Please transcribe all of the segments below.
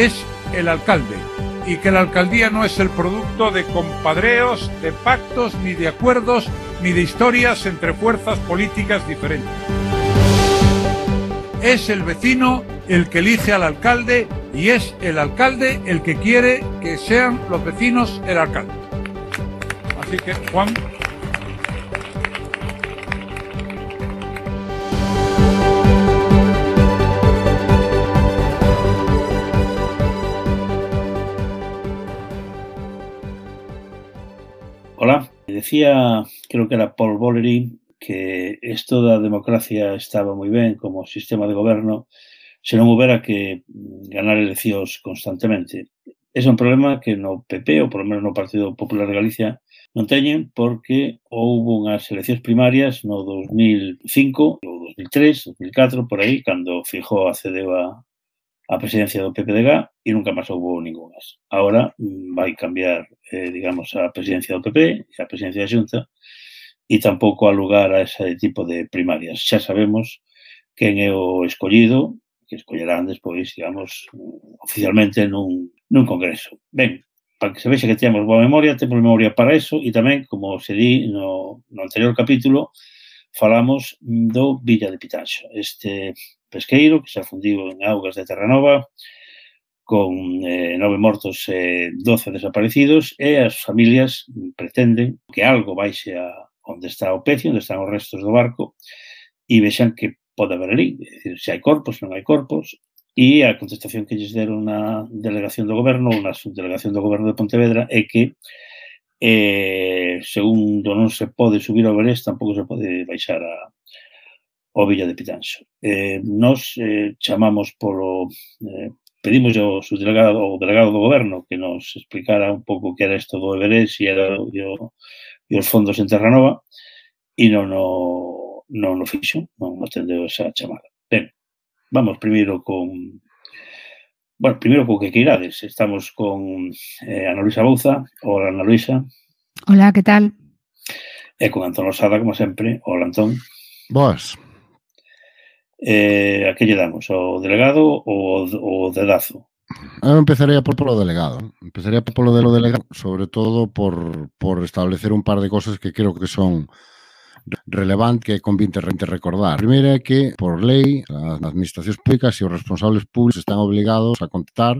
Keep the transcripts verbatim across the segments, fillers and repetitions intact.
es el alcalde, y que la alcaldía no es el producto de compadreos, de pactos, ni de acuerdos, ni de historias entre fuerzas políticas diferentes. Es el vecino el que elige al alcalde y es el alcalde el que quiere que sean los vecinos el alcalde. Así que, Juan. Hola, decía, creo que era Paul Valéry, que esto da democracia estaba moi ben como sistema de goberno se non houbera que ganar eleccións constantemente. Ese é un problema que no P P, ou por lo menos no Partido Popular de Galicia, non teñen porque houbo unhas eleccións primarias no dos mil cinco, ou dos mil tres, dos mil catro, por aí, cando Feijóo accedeu a, a presidencia do P P D G e nunca máis houbo ningunhas. Agora vai cambiar, eh, digamos, a presidencia do P P e a presidencia da Xunta e tampouco há lugar a ese tipo de primarias. Xa sabemos quen é o escollido, que escollerán despois, digamos, oficialmente nun, nun congreso. Ben, para que se vexa que temos boa memoria, temos memoria para eso e tamén, como se di no, no anterior capítulo, falamos do Villa de Pitanxo. Este pesqueiro que se afundiu en augas de Terranova con eh, nove mortos e eh, doce desaparecidos e as familias pretenden que algo baixe a onde está o pecio, onde están os restos do barco, e vexan que pode haber ali, é dicir, se hai corpos, non hai corpos, e a contestación que lles deron na delegación do goberno ou na subdelegación do goberno de Pontevedra é que eh, segundo non se pode subir ao Everest, tampouco se pode baixar a, ao Villa de Pitanxo. Eh, nos eh, chamamos polo... Eh, pedimos ao subdelegado, ao delegado do goberno que nos explicara un pouco que era isto do Everest e era o e os fondos en Terranova e non o, non o fixo, non atendeu esa chamada. Ben, vamos primeiro con... Bueno, primeiro co que queirades. Estamos con eh, Ana Luisa Bouza. Hola, Ana Luisa. Hola, que tal? E con Antón Losada, como sempre. Hola, Antón. Boas. Eh, a que lle damos? O delegado ou o dedazo? Eu empezaría por polo delegado. Empezaría por polo delegado, sobre todo por, por establecer un par de cosas que creo que son relevantes que convinte recordar. A primeira é que, por lei, as administracións públicas e os responsables públicos están obligados a contestar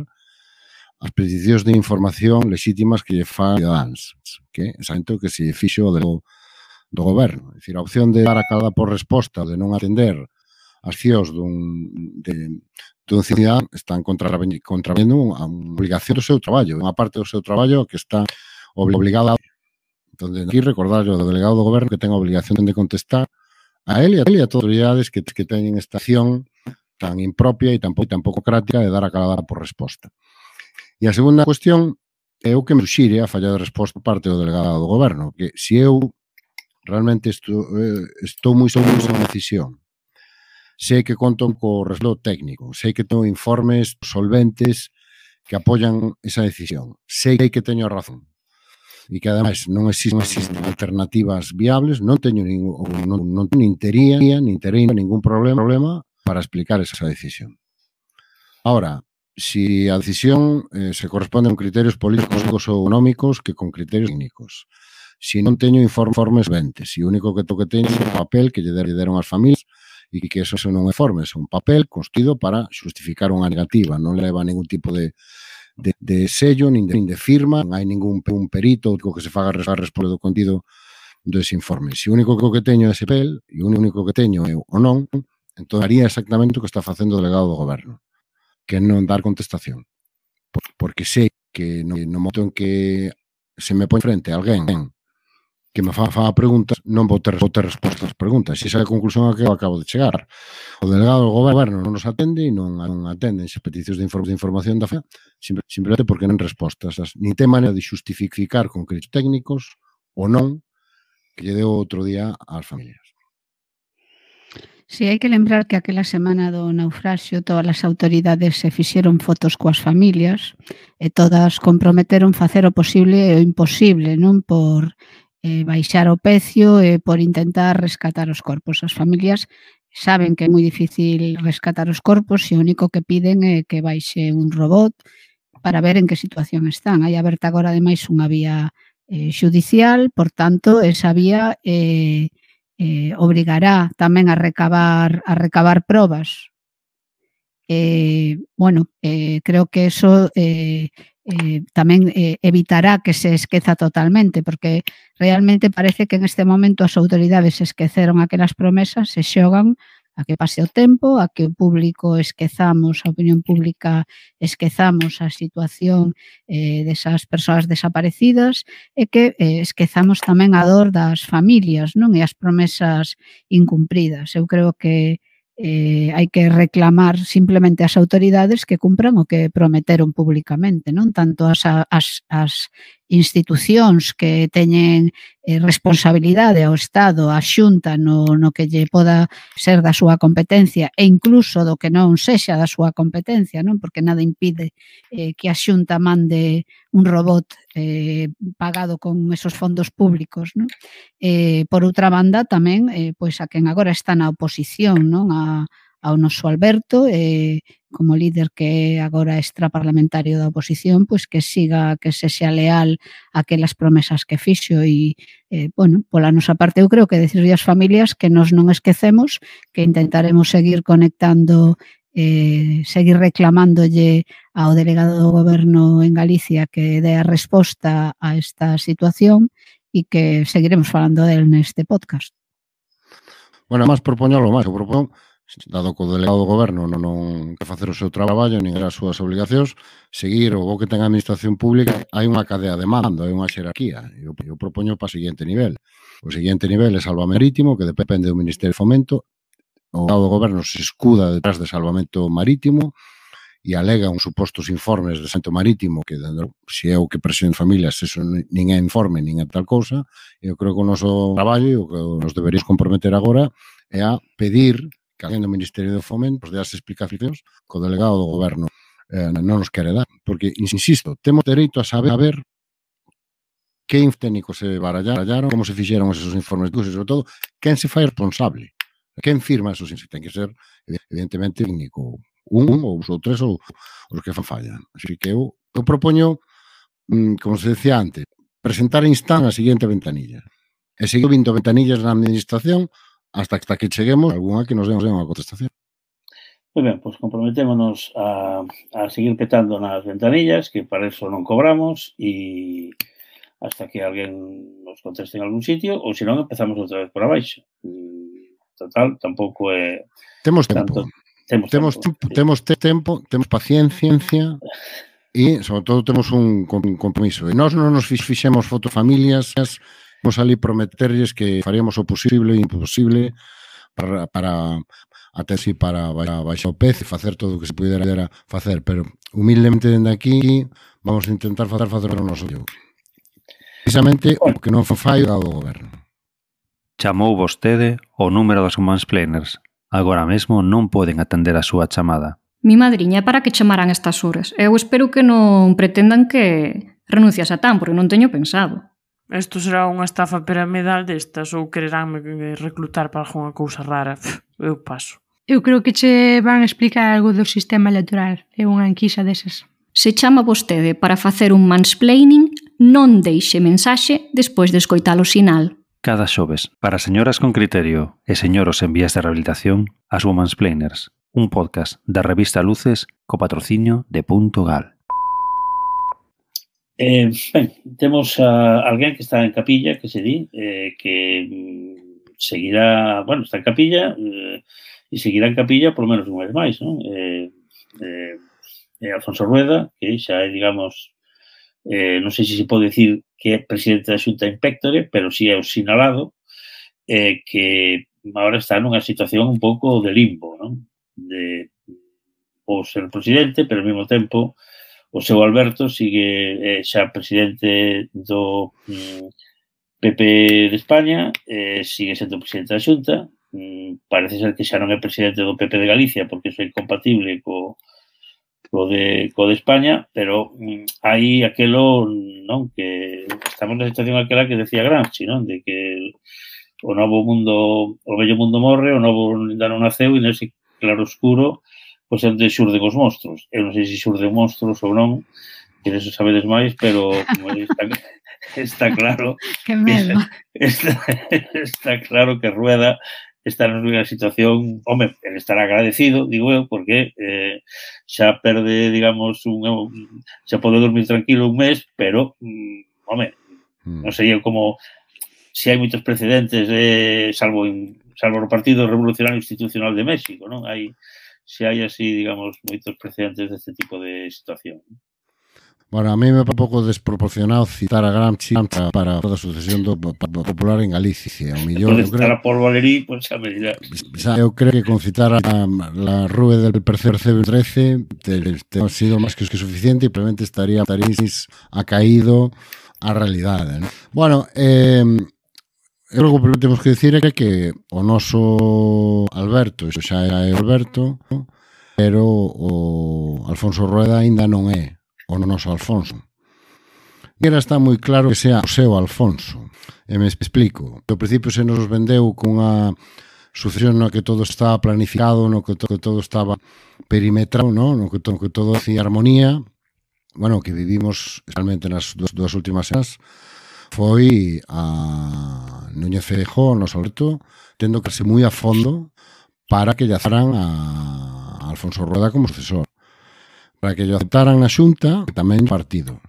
as peticións de información legítimas que lle fan cidadáns, que é exactamente o que se fixo do, do goberno. É dicir, a opción de dar a cada por resposta, de non atender as accións dun, de, dun cidadán están contravendo a obligación do seu traballo, unha parte do seu traballo que está obligada. Entón, aquí recordar ao delegado do goberno que ten a obligación de contestar a él e a, él e a todas as autoridades que, que teñen esta acción tan impropia e tan, tan pouco crática de dar a cada por resposta. E a segunda cuestión é o que me suxire a falla de resposta por parte do delegado do goberno, que se eu realmente estou, estou moi seguro da decisión, sei que conto co respaldo técnico, sei que teño informes solventes que apoian esa decisión, sei que teño razón e que ademais non existen, non existen alternativas viables, non teño ningún, non, non, nin tería, nin tería ningún problema, problema para explicar esa decisión. Ahora, si a decisión eh, se corresponde con criterios políticos ou económicos que con criterios técnicos, si non teño informes solventes, e o único que toque teño é un papel que lle deron as familias e que eso non é informe, é un papel construído para justificar unha negativa, non leva ningún tipo de, de, de sello, nin de, nin de firma, non hai ningún un perito que se faga responder do contido dese informe. Se o único que teño é ese papel, e o único que teño é o non, entón haría exactamente o que está facendo o delegado do goberno, que non dar contestación. Porque sei que no, no momento en que se me pon frente a alguén que me fa, fa preguntas, non vou ter, vou ter respostas ás preguntas. E esa é a conclusión a que eu acabo de chegar. O delegado do goberno non nos atende e non, non atenden as peticións de, inform de información da F E A, simplemente porque non respostas. Nin ten maneira de justificar con criterios técnicos ou non que lle deu outro día ás familias. Si, hai que lembrar que aquela semana do naufraxio todas as autoridades se fixeron fotos coas familias e todas comprometeron facer o posible e o imposible, non por eh, baixar o precio eh, por intentar rescatar os corpos. As familias saben que é moi difícil rescatar os corpos e o único que piden é que baixe un robot para ver en que situación están. Hai aberta agora ademais unha vía eh, xudicial, por tanto, esa vía eh, eh, obrigará tamén a recabar, a recabar probas. Eh, bueno, eh, creo que eso eh, eh, tamén eh, evitará que se esqueza totalmente, porque realmente parece que en este momento as autoridades esqueceron aquelas promesas, se xogan a que pase o tempo, a que o público esquezamos, a opinión pública esquezamos a situación eh, desas persoas desaparecidas e que eh, esquezamos tamén a dor das familias, non? E as promesas incumpridas. Eu creo que eh, hai que reclamar simplemente ás autoridades que cumpran o que prometeron públicamente, non? Tanto as, as, as institucións que teñen eh, responsabilidade ao Estado, a Xunta no, no que lle poda ser da súa competencia e incluso do que non sexa da súa competencia, non? Porque nada impide eh, que a Xunta mande un robot eh, pagado con esos fondos públicos, non? Eh, por outra banda, tamén, eh, pois a quen agora está na oposición, non? A, ao noso Alberto, eh, como líder que é agora extraparlamentario da oposición, pois que siga, que se xa leal a aquelas promesas que fixo e, eh, bueno, pola nosa parte eu creo que decirle ás familias que nos non esquecemos, que intentaremos seguir conectando, eh, seguir reclamándolle ao delegado do Goberno en Galicia que dé a resposta a esta situación e que seguiremos falando del neste podcast. Bueno, máis propoñolo máis, eu propón dado que o delegado do goberno non, non quer facer o seu traballo nin as súas obligacións, seguir o bo que ten a administración pública, hai unha cadea de mando, hai unha xerarquía. Eu, eu propoño para o seguinte nivel. O seguinte nivel é Salvamento Marítimo, que depende do Ministerio de Fomento. O delegado do goberno se escuda detrás de Salvamento Marítimo e alega uns supostos informes de Salvamento Marítimo que, se é o que presión familias, eso nin é informe, nin é tal cousa. Eu creo que o noso traballo e o que nos deberíamos comprometer agora é a pedir que alguén do Ministerio do Fomento de as explicacións que o delegado do goberno eh, non nos quere dar. Porque, insisto, temos dereito a saber, a ver que técnicos se barallaron, como se fixeron esos informes, e sobre todo, quen se fai responsable. Quen firma esos informes. Ten que ser, evidentemente, técnico. Un, ou ou tres, ou os que fan fallan. Así que eu, eu propoño, como se decía antes, presentar a instan a seguinte ventanilla. E seguir vindo ventanillas na administración hasta, hasta que cheguemos a alguna que nos demos unha contestación. Moi ben, pois comprometémonos a, a seguir petando nas ventanillas, que para eso non cobramos, e hasta que alguén nos conteste en algún sitio, ou se non, empezamos outra vez por abaixo. Total, tampouco é... Temos tempo. Tanto, temos, temos tempo, tempo, sí. temos tempo, temos paciencia, e, sobre todo, temos un compromiso. E nós non nos fixemos fotofamilias, vamos ali prometerlles que faríamos o posible e imposible para, para até si para baixar o pez e facer todo o que se pudera facer, pero humildemente dende aquí vamos a intentar facer facer o noso jogo. Precisamente o que non fai o goberno. Chamou vostede o número dos mansplainers. Agora mesmo non poden atender a súa chamada. Mi madriña, para que chamaran estas horas? Eu espero que non pretendan que renuncias a tan, porque non teño pensado. Isto será unha estafa piramidal destas ou quereránme reclutar para algunha cousa rara. Eu paso. Eu creo que che van a explicar algo do sistema electoral. É unha enquisa desas. Se chama vostede para facer un mansplaining, non deixe mensaxe despois de escoitar o sinal. Cada xoves, para señoras con criterio e señoros en vías de rehabilitación, as Womansplainers, un podcast da revista Luces co patrocinio de Punto Gal. Eh, ben, temos a alguén que está en capilla, que se di, eh, que mm, seguirá, bueno, está en capilla eh, e seguirá en capilla por menos un mes máis, non? Eh, eh, eh, Alfonso Rueda, que xa é, digamos, eh, non sei se se pode dicir que é presidente da Xunta Inspectore, pero si é o sinalado, eh, que agora está nunha situación un pouco de limbo, non? De, ou ser presidente, pero ao mesmo tempo o seu Alberto sigue eh, xa presidente do mm, P P de España, eh, sigue sendo presidente da Xunta, mm, parece ser que xa non é presidente do P P de Galicia porque iso é incompatible co, co de, co de España, pero mm, hai aquelo, non, que estamos na situación aquela que decía Gramsci, non, de que o novo mundo, o vello mundo morre, o novo ainda non naceu, e nese claro oscuro, pois onde xurden os monstruos. Eu non sei se xurden monstruos ou non, que eso sabedes máis, pero está, está claro que medo. Está, está claro que Rueda está nunha situación, home, ele estará agradecido, digo eu, porque eh, xa perde, digamos, un, un, xa pode dormir tranquilo un mes, pero, mm, home, mm. non sei eu como, se hai moitos precedentes, eh, salvo en, salvo no Partido Revolucionario Institucional de México, non? Hai, se hai así, digamos, moitos precedentes deste tipo de situación. Bueno, a mí me é un pouco desproporcionado citar a Gramsci para, para a sucesión do popular en Galicia. O millón, eu creo, citar a Paul Valéry, pois xa me dirá. Eu creo que con citar a, la Rue del Percebe trece te, te ha sido máis que suficiente e probablemente estaría, estaría acaído a realidade, ¿no? Bueno, eh, eu creo que temos que dicir é que o noso Alberto, iso xa é Alberto, pero o Alfonso Rueda aínda non é o noso Alfonso. E era está moi claro que sea o seu Alfonso. E me explico. Ao principio se nos vendeu cunha sucesión no que todo estaba planificado, no que todo, que todo estaba perimetrado, no, no que, todo, que todo hacía armonía. Bueno, que vivimos, especialmente nas dúas, dúas últimas semanas, foi a Núñez Feijóo, nos Alberto, tendo que irse moi a fondo para que lle azaran a Alfonso Rueda como sucesor. Para que lle aceptaran na Xunta e tamén no partido.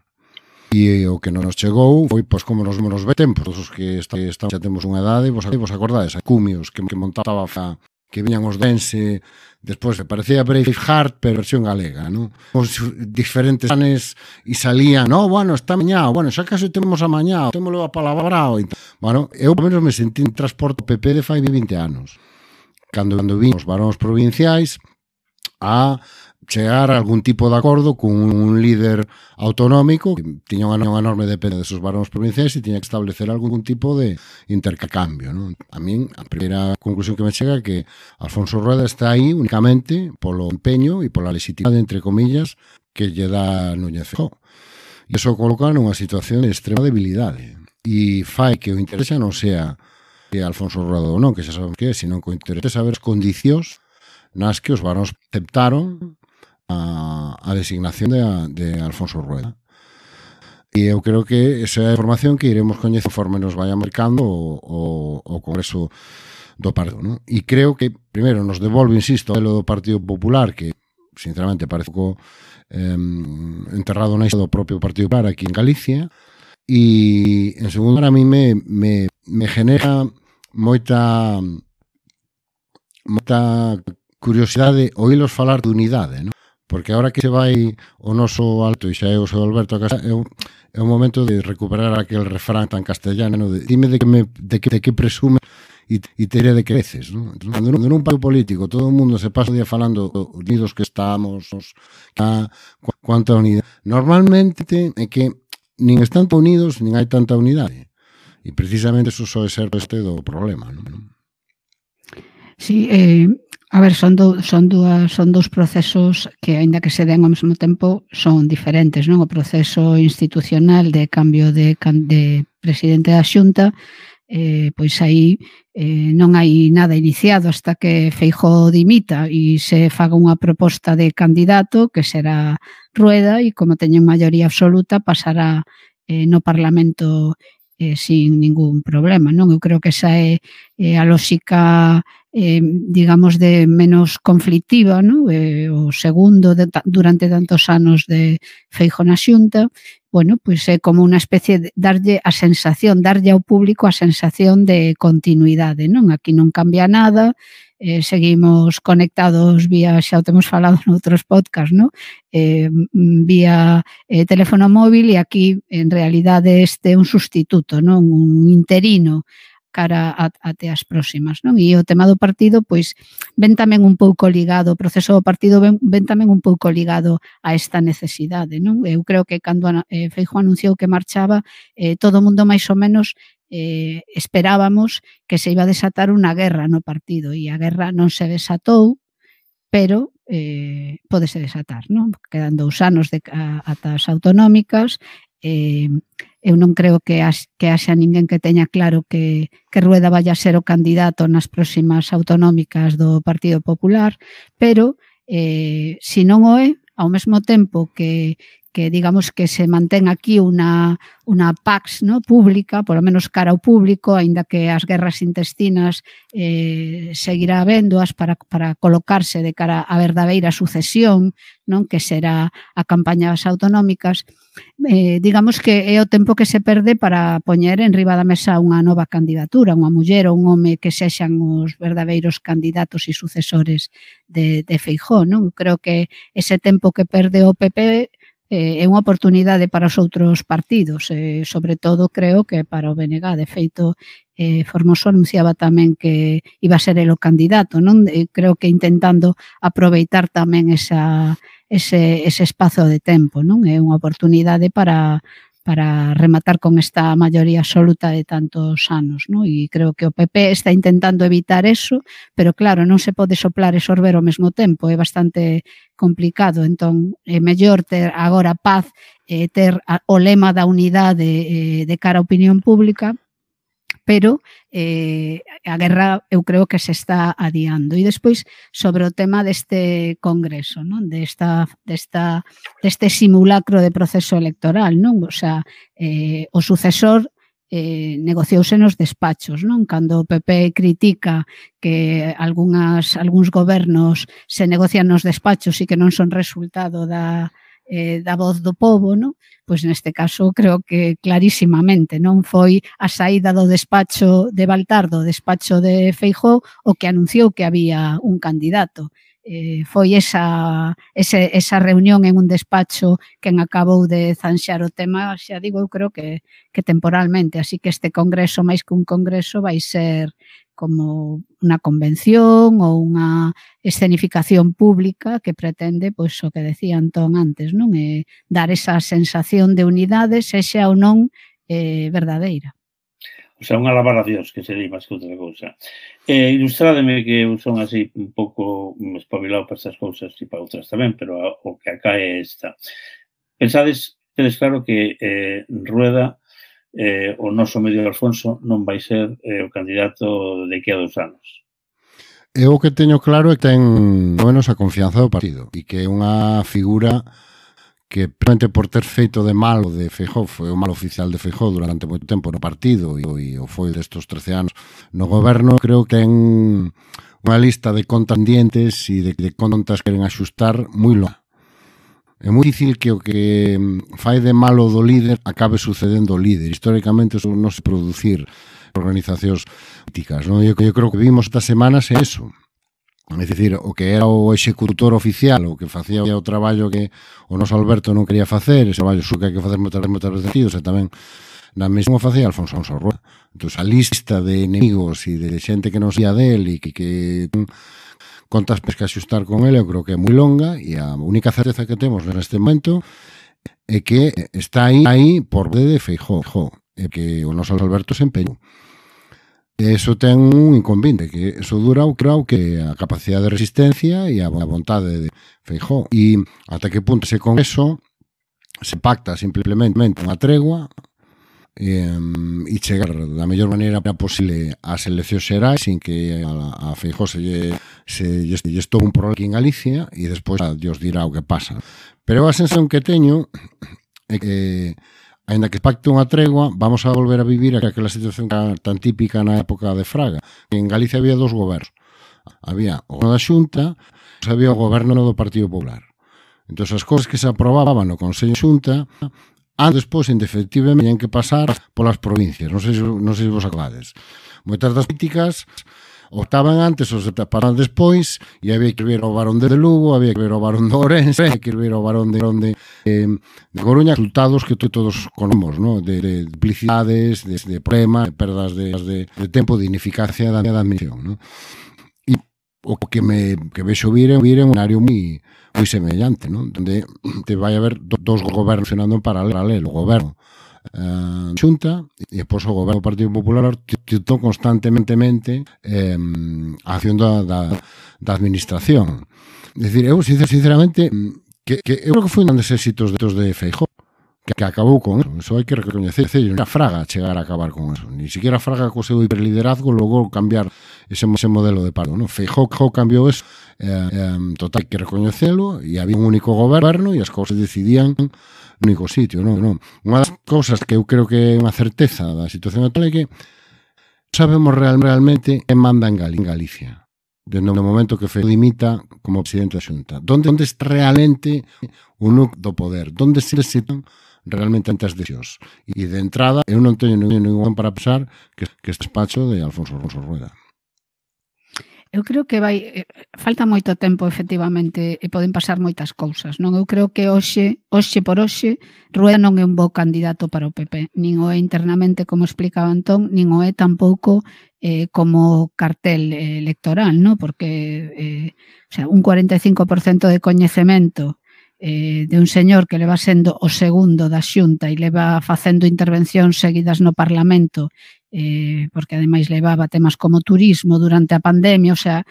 E o que non nos chegou foi, pois, como nos, nos ve tempos, os que estamos, xa temos unha edade, vos, vos acordades, a cumios que, que montaba a, que viñan os dense, despois parecía Braveheart, pero versión galega, non? Os diferentes anes e salían, no, bueno, está mañá, bueno, xa case temos a mañá, temoslo a palabrao. Bueno, eu, por menos, me sentí en transporte P P de fai vinte anos. Cando, cando vimos os varóns provinciais a chegar a algún tipo de acordo con un líder autonómico que tiña unha enorme dependencia desos varóns provinciais e tiña que establecer algún tipo de intercambio, ¿no? A min, a primeira conclusión que me chega é que Alfonso Rueda está aí únicamente polo empeño e pola legitimidade, entre comillas, que lle dá Núñez Feijóo. E iso coloca nunha situación de extrema debilidade e fai que o interese non sea que Alfonso Rueda ou non, que xa sabemos que é, sino que o interese é saber as condicións nas que os varóns aceptaron a, a designación de, de Alfonso Rueda. E eu creo que esa é a información que iremos coñecer conforme nos vaya marcando o, o, o Congreso do Partido, ¿no? E creo que, primeiro, nos devolve, insisto, o modelo do Partido Popular, que, sinceramente, parece pouco eh, enterrado na isla do propio Partido Popular aquí en Galicia, e, en segundo, a mí me, me, me genera moita moita curiosidade oílos falar de unidade, ¿no? Porque agora que se vai o noso alto e xa é o seu Alberto a casa, é un, é un momento de recuperar aquel refrán tan castellano, ¿no? De, dime de que, me, de que, de que presume e, e te diré de que creces, ¿no? Entón, cando nun partido político todo o mundo se pasa o día falando unidos que estamos, a, cuánta unidade. Normalmente é que nin están unidos, nin hai tanta unidade. E precisamente eso soe ser este do problema, ¿no? Sí, eh, a ver, son, do, son, dúas, son dous procesos que, aínda que se den ao mesmo tempo, son diferentes, non? O proceso institucional de cambio de, de presidente da Xunta, eh, pois aí eh, non hai nada iniciado hasta que Feijóo dimita e se faga unha proposta de candidato que será Rueda e, como teñen maioría absoluta, pasará eh, no Parlamento eh, sin ningún problema, non? Eu creo que esa é eh, a lógica Eh, digamos, de menos conflictiva, ¿no? Eh, o segundo de, durante tantos anos de Feijóo na Xunta, bueno, pois é como unha especie de darlle a sensación, darlle ao público a sensación de continuidade, non? Aquí non cambia nada, eh, seguimos conectados vía, xa o temos falado noutros podcast, ¿no? Eh, vía eh, teléfono móvil e aquí, en realidade, este é un sustituto, non? Un interino cara a, até as próximas, non? E o tema do partido, pois, ven tamén un pouco ligado, o proceso do partido ven, ven tamén un pouco ligado a esta necesidade, non? Eu creo que cando eh, Feijóo anunciou que marchaba, eh, todo o mundo máis ou menos eh, esperábamos que se iba a desatar unha guerra no partido, e a guerra non se desatou, pero eh, pódese desatar, non? Quedan dous anos de, a, ata as autonómicas, eh, eu non creo que, as, que haxa ninguén que teña claro que, que Rueda vaya a ser o candidato nas próximas autonómicas do Partido Popular, pero eh, se non o é, ao mesmo tempo que que digamos que se mantén aquí unha, unha pax, ¿no?, pública, polo menos cara ao público, aínda que as guerras intestinas eh, seguirá habéndoas para, para colocarse de cara á verdadeira sucesión, non, que será a campaña das autonómicas, eh, digamos que é o tempo que se perde para poñer en riba da mesa unha nova candidatura, unha muller ou un home que sexan os verdadeiros candidatos e sucesores de, de Feijóo, non? Creo que ese tempo que perde o P P é unha oportunidade para os outros partidos, eh, sobre todo creo que para o B N G. De feito, eh, Formoso anunciaba tamén que iba a ser el o candidato, non? Eh, creo que intentando aproveitar tamén esa, ese, ese espazo de tempo, non? É unha oportunidade para para rematar con esta maioría absoluta de tantos anos, non? E creo que o P P está intentando evitar eso, pero claro, non se pode soplar e sorber ao mesmo tempo, é bastante complicado, entón é mellor ter agora paz e ter o lema da unidade eh, de cara á opinión pública, pero eh, a guerra eu creo que se está adiando. E despois, sobre o tema deste congreso, non? Desta, desta, deste simulacro de proceso electoral, non? O sea, eh, o sucesor eh, negociouse nos despachos, non? Cando o P P critica que algunhas, algúns gobernos se negocian nos despachos e que non son resultado da Eh, da voz do pobo, non? Pois neste caso creo que clarísimamente non foi a saída do despacho de Baltar, do despacho de Feijóo, o que anunciou que había un candidato. Eh, foi esa, ese, esa reunión en un despacho quen acabou de zanxar o tema, xa digo, eu creo que, que temporalmente, así que este congreso, máis que un congreso, vai ser como unha convención ou unha escenificación pública que pretende, pois, o que decía Antón antes, non? É dar esa sensación de unidade, sexa ou non eh, verdadeira. O sea, unha alabar a Dios, que sería máis que outra cousa. Eh, ilustrádeme que eu son así un pouco espabilado para estas cousas e para outras tamén, pero o que acá é esta. Pensades, tedes claro que eh, Rueda Eh, o noso Medio Alfonso non vai ser eh, o candidato de aquí a dos anos. Eu o que teño claro é que ten menos a confianza do partido e que é unha figura que, realmente por ter feito de malo de Feijóo, foi o mal oficial de Feijóo durante moito tempo no partido e, e o foi destos trece anos no goberno, creo que ten unha lista de contas pendientes e de, de contas que queren axustar moi longa. É moi difícil que o que fai de malo do líder acabe sucedendo o líder. Históricamente eso non se producir organizacións políticas, non? Eu, eu creo que vimos estas semanas é eso. É dicir, o que era o executor oficial, o que facía o traballo que o noso Alberto non quería facer, ese traballo que hai que facer moitas veces sentidos, e tamén na mesma facía Alfonso Alfonso Rueda. Entón, a lista de enemigos e de xente que non sabía del e que, que contas que axustar con ele, eu creo que é moi longa e a única certeza que temos neste momento é que está aí, aí por de Feijóo, é que o noso Alberto se empeñou. Eso ten un inconveniente, que eso dura o creo que a capacidade de resistencia e a vontade de Feijóo. E ata que punto ese congreso se pacta simplemente unha tregua e, e chegar da mellor maneira posible ás eleccións xerais sin que a, a Feijóo se lle se lle estou un problema aquí en Galicia e despois Dios dirá o que pasa. Pero a sensación que teño é que aínda que pacte unha tregua, vamos a volver a vivir aquela situación tan típica na época de Fraga. En Galicia había dos gobernos. Había o goberno da Xunta e había o goberno do Partido Popular. Entón, as cousas que se aprobaban no Consello de Xunta, antes, despois, indefectivamente, tenían que pasar polas provincias. Non sei, non sei se vos acordades. Moitas das políticas optaban antes, os paraban despois, e había que ver o Barón de Lugo, había que ver o Barón de Ourense, había que ver o Barón de, de, de, de Coruña, resultados que todos conocemos, ¿no? de, de duplicidades, de, de problemas, de perdas de, de, de tempo, de ineficacia da, da admisión, ¿no? E o que me que vexo vir é un área moi moi semellante, ¿no? Donde te vai haber dos gobernos funcionando en paralelo, o goberno Uh, Xunta e depois o goberno do Partido Popular titou constantemente eh, a acción da, da, da administración. decir, eu sinceramente que, que eu creo que foi un dos éxitos de, de Feijóo que, que acabou con eso, eso hai que recoñecer. A Fraga chegar a acabar con eso, ni siquiera Fraga co seu hiperliderazgo logrou cambiar ese, ese modelo de paro, ¿no? Feijóo cambiou eso, eh, eh, total, hai que recoñecelo, e había un único goberno e as cousas decidían no único sitio, non? Non. Unha das cousas que eu creo que é unha certeza da situación actual é que sabemos real, realmente quen manda en Galicia, desde o momento que Feijóo dimita como presidente da Xunta. Donde, onde está realmente o núcleo do poder? Donde se necesitan realmente antes de xos? E de entrada, eu non teño ningún para pensar que, que este despacho de Alfonso, Alfonso Rueda. Eu creo que vai falta moito tempo, efectivamente, e poden pasar moitas cousas, non? Eu creo que hoxe, hoxe por hoxe, Rueda non é un bo candidato para o P P, nin o é internamente, como explicaba Antón, nin o é tampouco eh, como cartel eh, electoral, non? Porque eh, o sea, un cuarenta e cinco por cento de coñecemento eh, de un señor que leva sendo o segundo da Xunta e leva facendo intervencións seguidas no Parlamento, eh, porque ademais levaba temas como turismo durante a pandemia, o sea,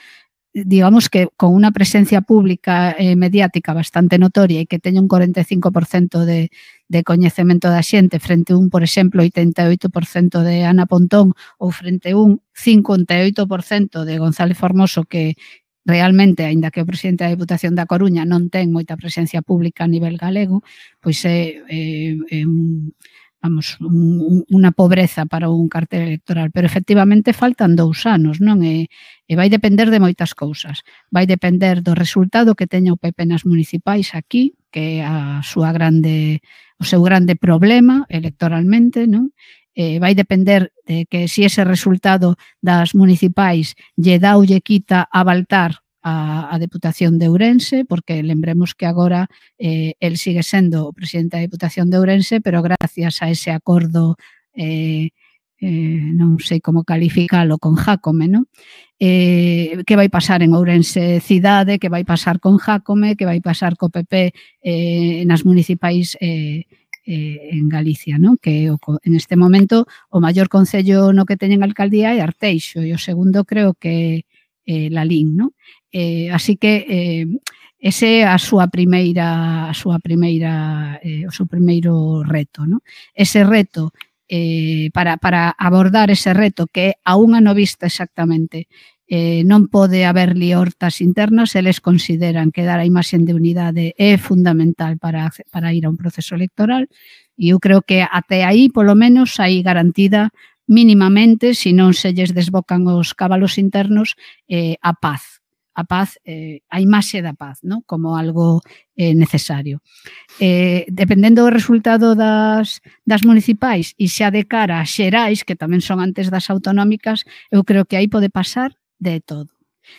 digamos que con unha presencia pública e eh, mediática bastante notoria e que teña un cuarenta e cinco por cento de, de coñecemento da xente frente a un, por exemplo, oitenta e oito por cento de Ana Pontón ou frente a un cincuenta e oito por cento de González Formoso, que realmente, aínda que o presidente da Deputación da Coruña non ten moita presencia pública a nivel galego, pois é, é, é un, vamos, un, unha pobreza para un cartel electoral, pero efectivamente faltan dous anos, non? E, e vai depender de moitas cousas. Vai depender do resultado que teña o P P nas municipais aquí, que é a súa grande, o seu grande problema electoralmente, non? Eh, vai depender de que si ese resultado das municipais lle dá ou lle quita a Baltar a, a Deputación de Ourense, porque lembremos que agora eh, el sigue sendo o presidente da Deputación de Ourense, pero gracias a ese acordo eh, eh, non sei como calificalo con Jácome, non? Eh, que vai pasar en Ourense cidade, que vai pasar con Jácome, que vai pasar co P P eh, nas municipais eh, Eh, en Galicia, ¿no? Que o, en este momento o maior concello no que teñen alcaldía é Arteixo e o segundo creo que é eh, Lalín, ¿no? Eh, así que eh, ese é a súa primeira a súa primeira eh, o seu primeiro reto, ¿no? Ese reto eh, para, para abordar ese reto que é a unha no vista exactamente, eh, non pode haber liortas internas, eles consideran que dar a imaxe de unidade é fundamental para, para ir a un proceso electoral e eu creo que até aí, polo menos, hai garantida mínimamente, se non se lles desbocan os cabalos internos, eh, a paz. A paz, eh, a imaxe da paz, ¿no? Como algo eh, necesario. Eh, dependendo do resultado das, das municipais e xa de cara a xerais, que tamén son antes das autonómicas, eu creo que aí pode pasar de todo.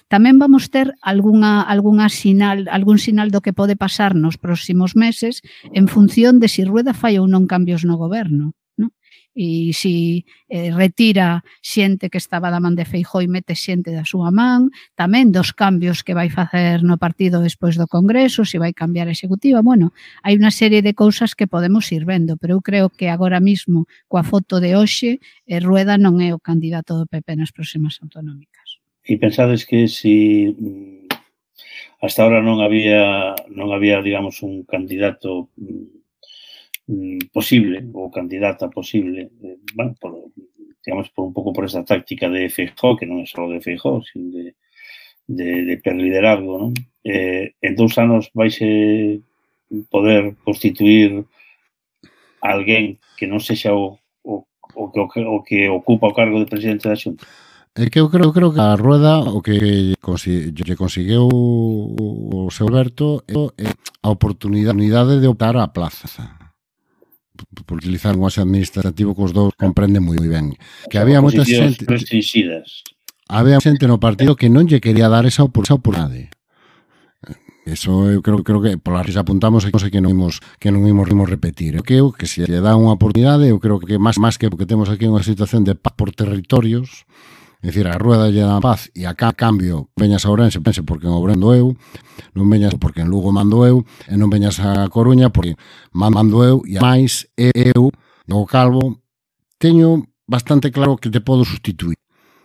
Tamén vamos ter algunha, algunha sinal, algún sinal do que pode pasar nos próximos meses en función de si Rueda fai ou non cambios no goberno, ¿no? E si eh, retira xente que estaba da man de Feijóo e mete xente da súa man, tamén dos cambios que vai facer no partido despois do Congreso, se vai cambiar a executiva, bueno, hai unha serie de cousas que podemos ir vendo, pero eu creo que agora mismo, coa foto de hoxe, eh, Rueda non é o candidato do P P nas próximas autonómicas. E pensades que si hasta ahora non había, non había, digamos, un candidato posible, ou candidata posible, eh, bueno, por, digamos, por un pouco por esta táctica de Feijóo, que non é só de Feijóo, sino de, de, de perliderazgo, non? Eh, en dous anos vaise poder constituir alguén que non sexa o, o, o, que, o que ocupa o cargo de presidente da Xunta. É que eu creo, creo que a Rueda o que lle conseguiu o seu Alberto é a oportunidade de optar á plaza. Por utilizar un lenguaxe administrativo que os dous comprende moi ben. Que había moita xente... Había xente no partido que non lle quería dar esa oportunidade. Eso eu creo, creo que polas que apuntamos é que non imos que non imos rimos repetir. Eu creo que se lle dá unha oportunidade, eu creo que máis máis que porque temos aquí unha situación de paz por territorios. É dicir, a Rueda lle dá paz e a cambio veñas a Ourense, pense porque en Ourense mando eu, non veñas porque en Lugo mando eu, e non veñas a Coruña porque mando eu, e máis eu, o Calvo, teño bastante claro que te podo sustituir.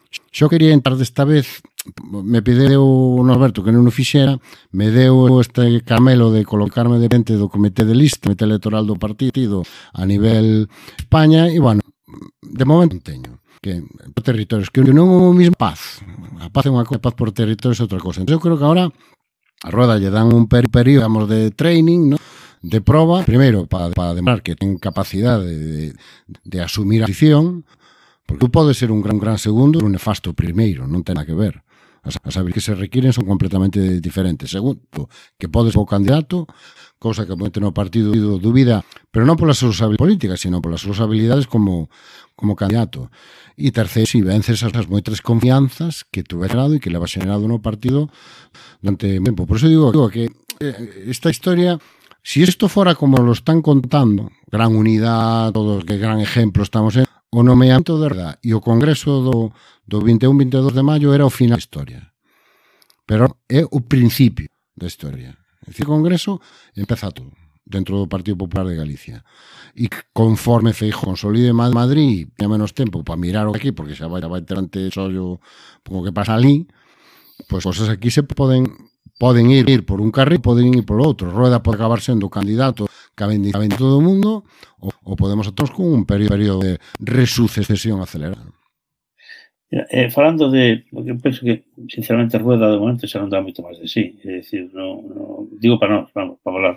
Xo quería entrar desta vez, me pideu Norberto que non o fixera, me deu este camelo de colocarme de frente do comité de lista, comité electoral do partido a nivel España, e, bueno, de momento non teño. Que por territorios, que non é o mismo paz. A paz é unha cosa, paz por territorios é outra cosa. Entón, eu creo que agora a Rueda lle dan un período, digamos, de training, ¿no?, de proba, primeiro, para, para demostrar que ten capacidade de, de, de asumir a posición, porque tú podes ser un gran, gran segundo e un nefasto primeiro, non ten nada que ver. As, as habilidades que se requiren son completamente diferentes. Segundo, que podes ser o candidato, cousa que moito no partido dúbida, pero non polas súas habilidades políticas, sino polas súas habilidades como, como candidato. E terceiro, si vences as moitas confianzas que tú has generado e que le vas generado no partido durante tempo. Por eso digo que esta historia, si esto fuera como lo están contando, gran unidad, todos, que gran ejemplo estamos en, o nomeamento de verdad e o congreso do, do vinte e un vinte e dos de maio era o final da historia. Pero é o principio da historia. É dicir, o congreso empeza todo dentro do Partido Popular de Galicia. E conforme Feijóo consolide Madrid, teña menos tempo para mirar o aquí, porque xa vai, vai ter ante xollo o que pasa ali, pois pues, cosas aquí se poden poden ir, ir por un carril, poden ir por outro. Rueda pode acabar sendo candidato que vende todo o mundo, ou, ou podemos atrás con un período de resucesión acelerada. Eh, falando de, porque eu penso que sinceramente Rueda de momento xa non dá moito máis de sí, é dicir, no, no, digo para nós, vamos, para falar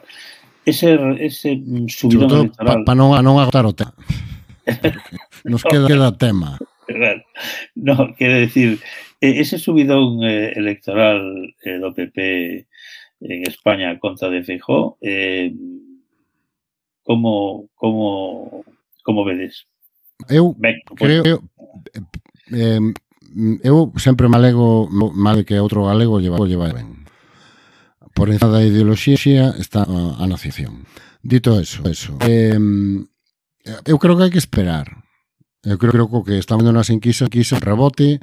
ese, ese subidón electoral para pa non, non agotar o tema nos queda, queda tema claro. No, quere decir, ese subidón eh, electoral eh, do P P en España contra de Feijóo, eh, como como como vedes? Eu Ben, creo eu, eh, eu sempre me alego mal que outro galego lleva, lleva ben. Por encima da ideoloxía está a, a nación. Dito eso, eso eh, eu creo que hai que esperar. Eu creo, creo que estamos vendo nas enquisas, enquisas rebote,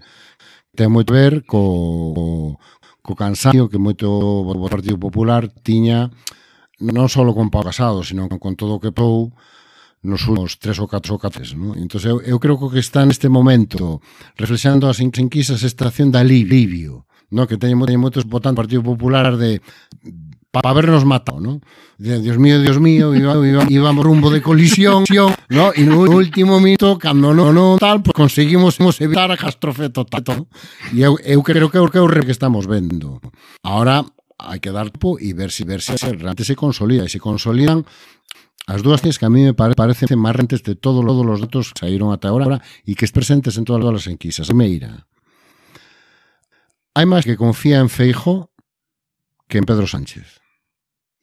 ten moito a ver co, co cansancio que moito o Partido Popular tiña, non só con Pau Casado, sino con todo o que pou nos últimos tres ou catro ou catro, ¿no? Entón, eu, eu creo que está neste momento reflexionando as enquisas esta acción de alivio, ¿no? Que teñen moitos votantes do Partido Popular de para habernos matado, ¿no? De, Dios mío, Dios mío, íbamos iba, iba rumbo de colisión, ¿no? E no último minuto, cando non no, tal, pues conseguimos evitar a catástrofe total, ¿no? E eu, eu creo que é o que estamos vendo. Ahora hai que dar tiempo e ver se ver se realmente se consolida, e se consolidan as dúas cosas que a mí me parecen máis rentes de todos os datos que saíron ata agora e que están presentes en todas as enquisas. Meira. Hai máis que confía en Feijóo que en Pedro Sánchez.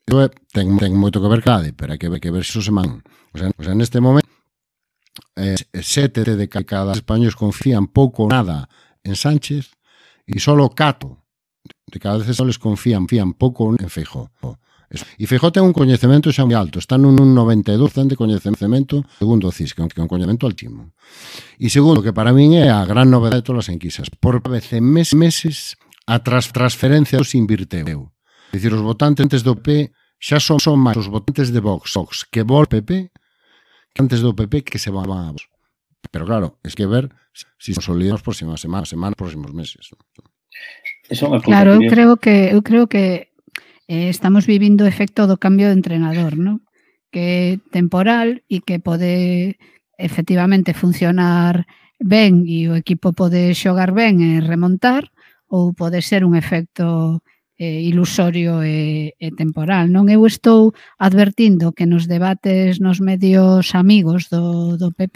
Eu ten, ten moito que ver clave, pero hai que ver, que ver se iso se man. O sea, o sea, neste momento, eh, sete de cada españoles confían pouco ou nada en Sánchez e solo cato de cada vez les confían, confían pouco en Feijóo. E Feijóo ten un coñecemento xa moi alto, está nun noventa e dous por cento de coñecemento, segundo o C I S, que é un coñecemento altísimo. E segundo, que para min é a gran novedade de todas as enquisas, por vez en mes, meses a tras, transferencia se invirteu. É dicir, os votantes do P P xa son, son máis os votantes de Vox, Vox que vol P P que antes do P P que se van a Vox. Pero claro, es que ver se si consolidan as próximas semanas, semanas, próximos meses. Claro, eu creo que eu creo que eh, estamos vivindo o efecto do cambio de entrenador, ¿no? Que é temporal e que pode efectivamente funcionar ben e o equipo pode xogar ben e remontar, ou pode ser un efecto eh, ilusorio e, e temporal, non? Eu estou advertindo que nos debates nos medios amigos do, do P P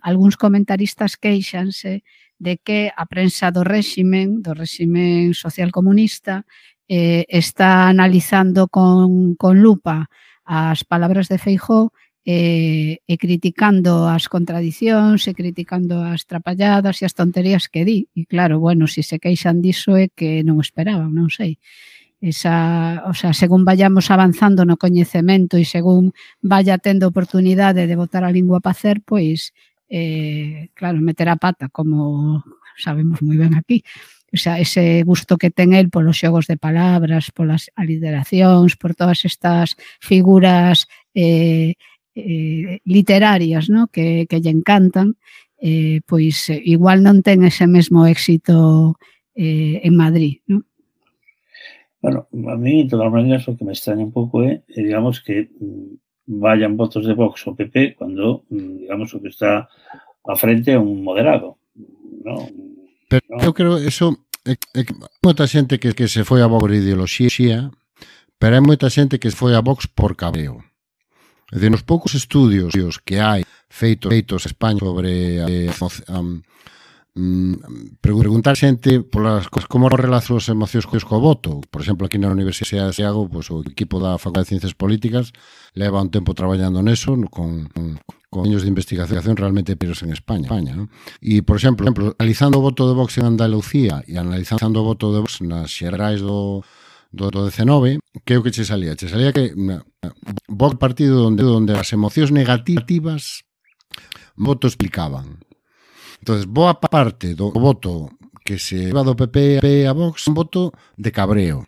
algúns comentaristas queixanse de que a prensa do réximen, do réximen social comunista, eh, está analizando con, con lupa as palabras de Feijóo e, e criticando as contradicións e criticando as trapalladas e as tonterías que di. E claro, bueno, se se queixan diso é que non esperaban, non sei. Esa, o sea, según vayamos avanzando no coñecemento e según vaya tendo oportunidade de botar a lingua pa hacer, pois, eh, claro, meter a pata, como sabemos moi ben aquí. O sea, ese gusto que ten el polos xogos de palabras, polas aliteracións, por todas estas figuras eh, eh, literarias, ¿no? que, que lle encantan, eh, pois eh, igual non ten ese mesmo éxito eh, en Madrid, non? Bueno, a mí, de todas maneras, o que me extraña un pouco é, eh, digamos, que mm, vayan votos de Vox o P P cuando, mm, digamos, o que está a frente é un moderado, ¿no? Pero ¿no? eu creo eso é, é que moita xente que, que se foi a Vox por ideoloxía, pero hai moita xente que se foi a Vox por cabreo. É dicir, nos poucos estudios que hai feitos feitos en España sobre eh, um, um, preguntar xente polas como relaciona as emocións co voto. Por exemplo, aquí na Universidade de Santiago, pues, o equipo da Facultade de Ciencias Políticas leva un tempo traballando neso con, con, con años de investigación realmente peros en España, España, ¿no? E, por exemplo, analizando o voto de Vox en Andalucía e analizando o voto de Vox nas xerais do do, do decenove, que é o que che salía? Che salía que na, Vox partido onde, onde as emocións negativas voto explicaban. Entonces, boa parte do voto que se iba do P P a Vox un voto de cabreo.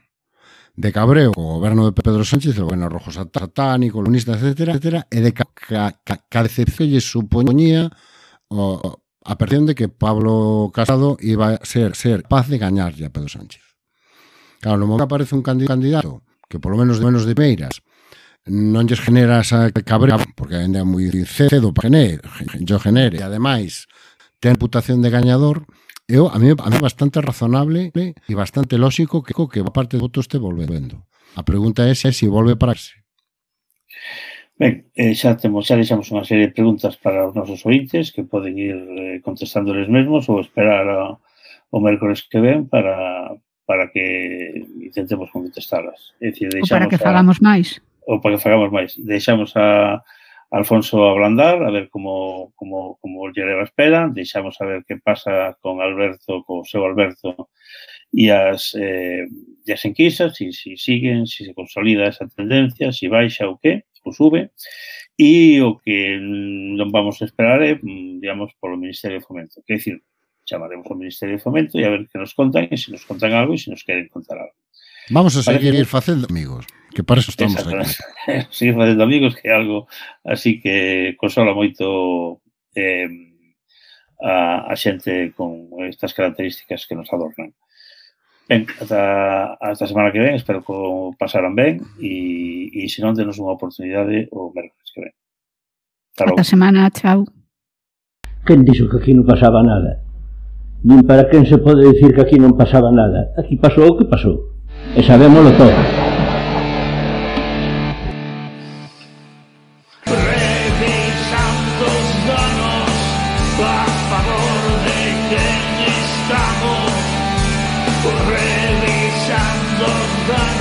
De cabreo co goberno de Pedro Sánchez, o goberno rojo satánico, comunista, etcétera, etcétera, e de ca, ca, ca, ca decepción lle supoñía o, a percepción de que Pablo Casado iba a ser, ser capaz de gañarlle a Pedro Sánchez. Claro, no momento aparece un candidato que por lo menos de menos de Meiras non lles genera esa cabrera, porque ainda é moi cedo para genere, yo genere, e ademais ten reputación de gañador, eu, a mí a mí é bastante razonable e bastante lógico que, que a parte de votos este volvendo. A pregunta é se si volve para ese. Ben, eh, xa temos, xa deixamos unha serie de preguntas para os nosos ointes que poden ir eh, contestándoles mesmos ou esperar a, o mércores que ven para para que intentemos contestalas. É dicir, ou para que fagamos máis. Ou para que fagamos máis. Deixamos a Alfonso ablandar, a ver como, como, como lle leva a espera, deixamos a ver que pasa con Alberto, co seu Alberto, e as, eh, e as enquisas, se si, si siguen, se si se consolida esa tendencia, se si baixa ou que, ou sube, e o que non vamos a esperar é, digamos, polo Ministerio de Fomento. Que é dicir, chamaremos ao Ministerio de Fomento e a ver que nos contan, e se nos contan algo e se nos queren contar algo. Vamos a seguir ir facendo amigos, que para eso estamos aquí. Seguir facendo amigos, que é algo así que consola moito eh, a, a xente con estas características que nos adornan. Ben, ata, ata a semana que ven, espero que o pasaran ben e, e se non, denos unha oportunidade o mércoles que ven. Ata a semana, chao. Quen dixo que aquí non pasaba nada? Nin para quen se pode dicir que aquí non pasaba nada. Aquí pasou o que pasou. E sabémolo todo. Revisando os danos a favor de quen estamos. Revisando os danos